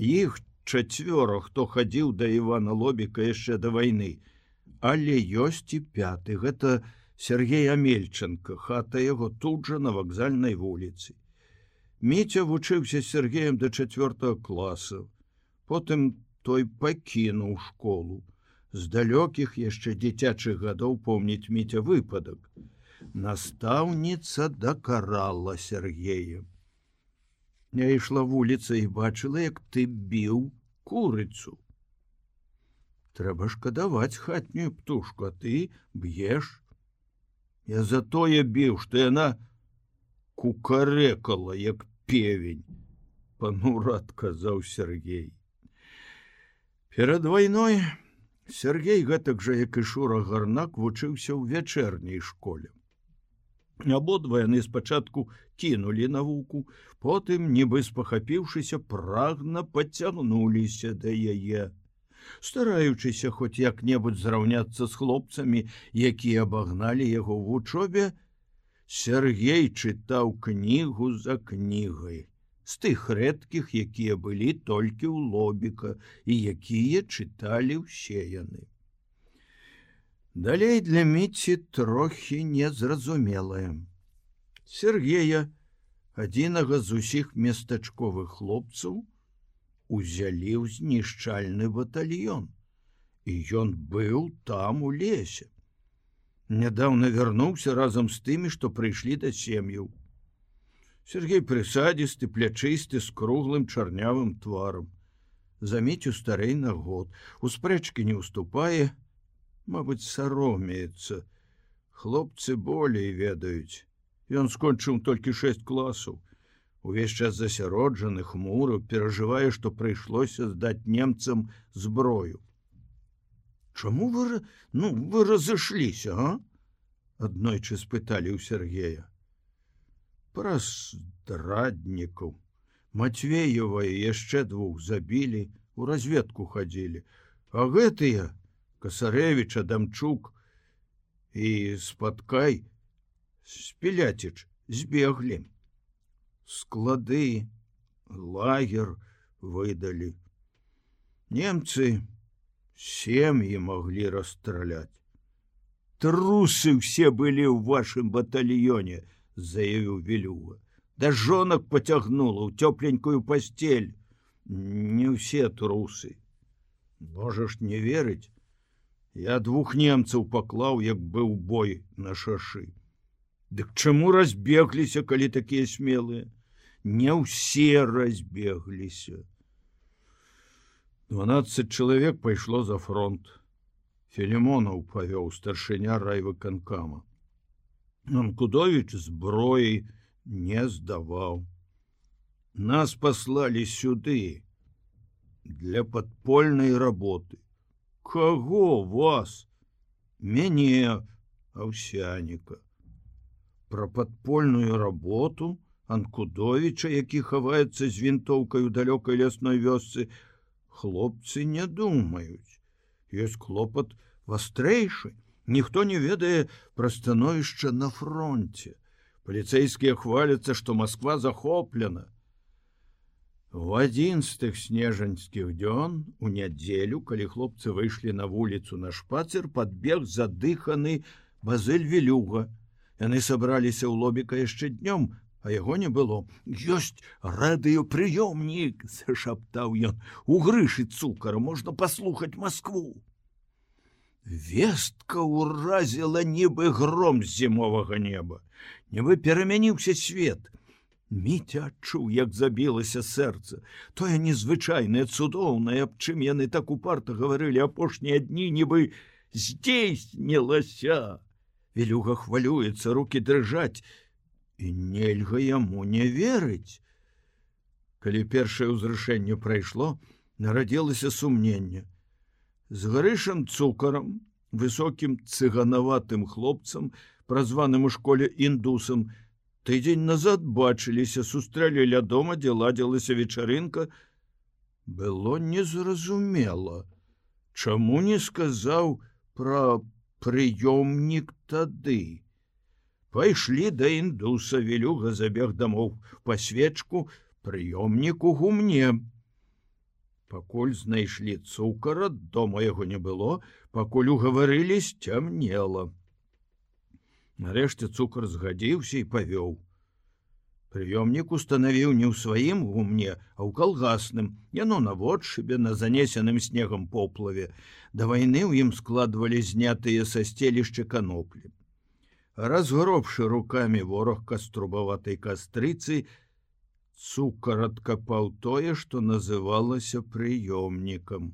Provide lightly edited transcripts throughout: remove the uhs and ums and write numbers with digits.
Іх 4, хто хадзіў да Івана Лобіка яшчэ да вайны. Але ёсць і 5. Гэта Сергей Амельченко, хата яго тут жа на вакзальнай вуліцы. Міця вучыўся з Сергеем да 4 класа. Потым той пакінуў школу. З далёкіх яшчэ дзіцячых гадоў помніць Міця выпадак. Настаўніца дакарала Сергея. Я ішла вуліца і бачыла, як ты біў курыцу. Трэба шкадаваць хатнюю птушку, а ты б'еш. Я за тое біў, што яна кукарэкала, як певень, панура адказаў Сергей. Перад вайной Сергей, гэтак жа, як і Шура Гарнак, вучыўся ў вячэрняй школе. Абодва яны спачатку кінулі навуку, потым, нібы спахапіўшыся, прагна пацягнуліся да яе, стараючыся хоць як-небудзь зраўняцца з хлопцамі, якія абагналі яго ў вучобе. Сергей чытаў кнігу за кнігай, з тых рэдкіх, якія былі толькі ў Лобіка і якія чыталі ўсе яны. Далей для Міці трохі незразумелае. Сергея, адзінага з усіх местачковых хлопцаў, узялі ў знішчальны батальён, і ён быў там у лесе. Нядаўна вярнуўся разам з тымі, што прыйшлі да сем'яў. Сергей прысадзісты, плячысты, з круглым чарнявым тварам. За Міцю старэй на год, у спрэчкі не ўступае, мабыць, саромеецца. Хлопцы болей ведаюць. Ён скончыў толькі 6 класаў. Увесь час засяроджаны, хмуры, перажывае, што прыйшлося здаць немцам зброю. Чаму вы разышліся, а? Аднойчы спыталі ў Сергея. Праз здраднікаў. Матвеева і яшчэ 2 забілі, у разведку хадзілі. А гэтыя, Касарэвіч, Адамчук і Спаткай, Спіляціч, збеглі. Склады, лагер выдалі. Немцы сем'і маглі расстраляць. Трусы ўсе былі ў вашым батальёне, заявіў Вілюга. Да жонак пацягнула ў цёпленькую пасцель. Не ўсе трусы. Можаш не верыць, я 2 немцаў паклаў, як быў бой на шашы. Дык чаму разбегліся, калі такія смелыя? Не ўсе разбегліся. 12 чалавек пайшло за фронт. Філімонаў павёў, старшыня райвыканкама. Анкудовіч зброі не здаваў. Нас паслалі сюды для падпольнай работы. Каго вас? Мяне, Аўсяніка. Пра падпольную работу Анкудовіча, які хаваецца з вінтоўкай у далёкай лясной вёсцы, хлопцы не думаюць. Ёсць клопат вастрэйшы. Ніхто не ведае пра становішча на фронте. Паліцэйскія хваляцца, што Масква захоплена. У адзін з тых снежаньскіх дзён, у нядзелю, калі хлопцы выйшлі на вуліцу на шпацыр, падбег задыханы Базыль Вілюга. Яны сабраліся ў Лобіка яшчэ днём, а яго не было. Ёсць радыёпрыёмнік, зашаптаў ён. У Грышы Цукара можна паслухаць Маскву. Вестка ўразіла нібы гром з зімовага неба. Нібы перамяніўся свет. Міця адчуў, як забілася сэрца. Тое незвычайнае, цудоўнае, аб чым яны так упарта гаварылі апошнія дні, нібы здзейснілася. Вілюга хвалюецца, рукі дрыжаць, і нельга яму не верыць. Калі першае ўзрушэнне прайшло, нарадзілася сумненне. З Грышам Цукарам, высокім цыганаватым хлопцам, празваным у школе індусам, тыдзень назад бачыліся, сустрэлі ля дома, дзе ладзілася вечарынка. Было незразумела, чаму не сказаў пра прыёмнік тады. Пайшлі да індуса, Вілюга забег дамоў па свечку, прыёмнік у гумне. Пакуль знайшлі цукара, дома яго не было, пакуль угаварылі, сцямнела. Нарэшце цукар згадзіўся і павёў. Прыёмнік устанавіў не ў сваім гумне, а ў калгасным, яно на водшыбе, на занесеным снегам поплаве. Да вайны ў ім складвалі знятыя са сцелішча каноплі. Разгробшы рукамі ворог каструбаватай кастрыцы, цукар адкапаў тое, што называлася прыёмнікам.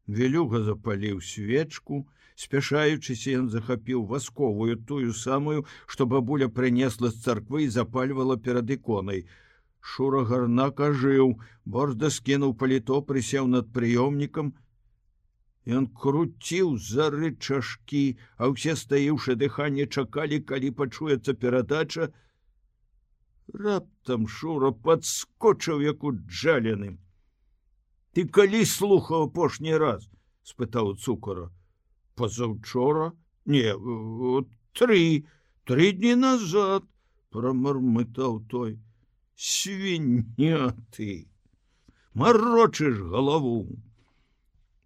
Велюга запаліў свечку, спяшаючыся, ён захапіў васковую, тую самую, што бабуля прынесла з царквы і запальвала перад іконай. Шура Гарнак ажыў, борзда скінуў паліто, прысеў над прыёмнікам. Ён круціў за рычажкі, а ўсе, стаіўшы дыханне, чакалі, калі пачуецца перадача. Раптам Шура падскочыў, як уджалены. «Ты калі слухаў апошні раз?» – спытаў цукара. «Позаўчора? Не, 3 дні назад», – прамармытаў той. «Свіння ты! Марочыш галаву!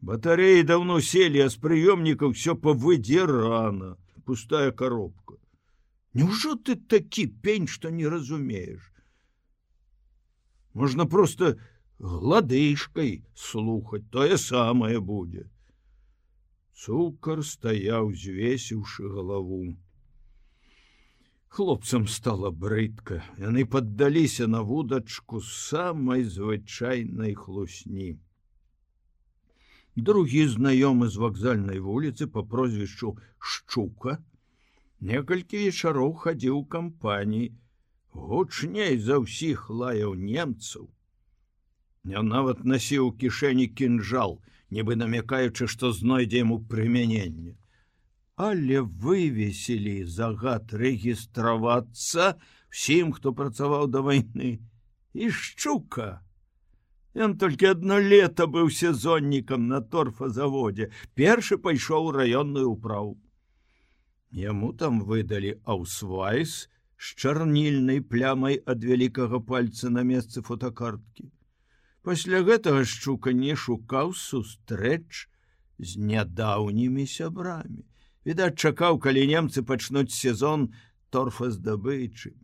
Батареі даўно селі, а з прыёмнікаў усё павыдзірана, пустая коробка. Няўжо ты такі пень, што не разумееш? Можна проста гладышкай слухаць, тое самае будзе». Цукар стаяў, звесіўшы галаву. Хлопцам стала брыдка. Яны паддаліся на вудачку самай звычайнай хлусні. Другі знаёмы з вакзальнай вуліцы па прозвішчу Шчука некалькі вечароў хадзіў у кампаніі, гучней за ўсіх лаяў немцаў. Ён нават насіў у кішэні кінжал, нібы намякаючы, што знойдзе яму прымяненне. Але вывесілі загад рэгістравацца всім, хто працаваў да вайны. І Шчука. Ён толькі 1 лета быў сезоннікам на торфазаводзе. Першы пайшоў у раённую ўправу. Яму там выдалі аўсвайс з чарнільнай плямай ад вялікага пальца на месцы фотокарткі. Пасля гэтага Шчука не шукаў сустрэч з нядаўнімі сябрамі. Відаць, чакаў, калі немцы пачнуць сезон торфаздабычы.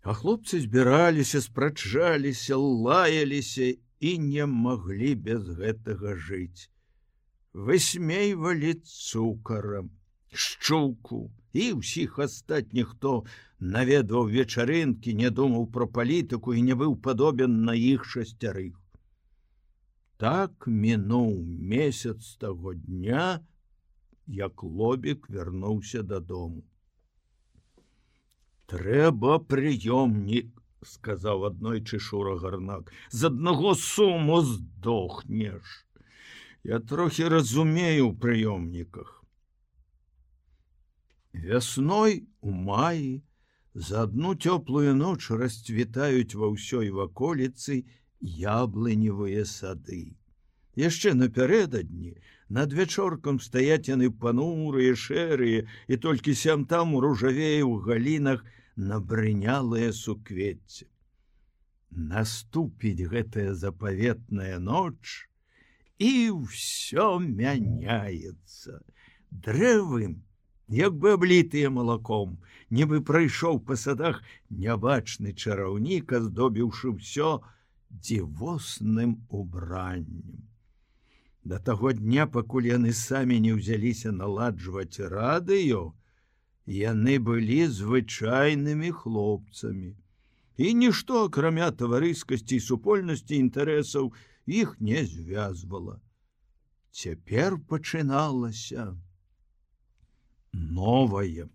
А хлопцы збіраліся, спрачаліся, лаяліся і не маглі без гэтага жыць. Высмейвалі цукара, Шчуку і ўсіх астатніх, хто наведваў вечарынкі, не думаў пра палітыку і не быў падобен на іх 6. Так мінуў месяц таго дня, як Лобік вярнуўся дадому. «Трэба прыёмнік», – сказаў аднойчы Шура Гарнак. «З аднаго суму здохнеш. Я трохі разумею ў прыёмніках». Вясной у маі за адну цёплую ноч расцвітаюць ва ўсёй ваколіцы яблыневыя сады. Яшчэ напярэдадні над вячоркам стаяць яны панурыя, шэрыя, і толькі сям-там ружавее ў галінах набрынялае суквецце. Наступіць гэтая запаветная ноч, і ўсё мяняецца. Дрэвы, як бы аблітыя малаком, нібы прайшоў па садах нябачны чараўнік, аздобіўшы ўсё дзівосным убраннем. Да таго дня, пакуль яны самі не ўзяліся наладжваць радыё, яны былі звычайнымі хлопцамі. І нішто, акрамя таварыскасці і супольнасці інтарэсаў, іх не звязвала. Цяпер пачыналася новае.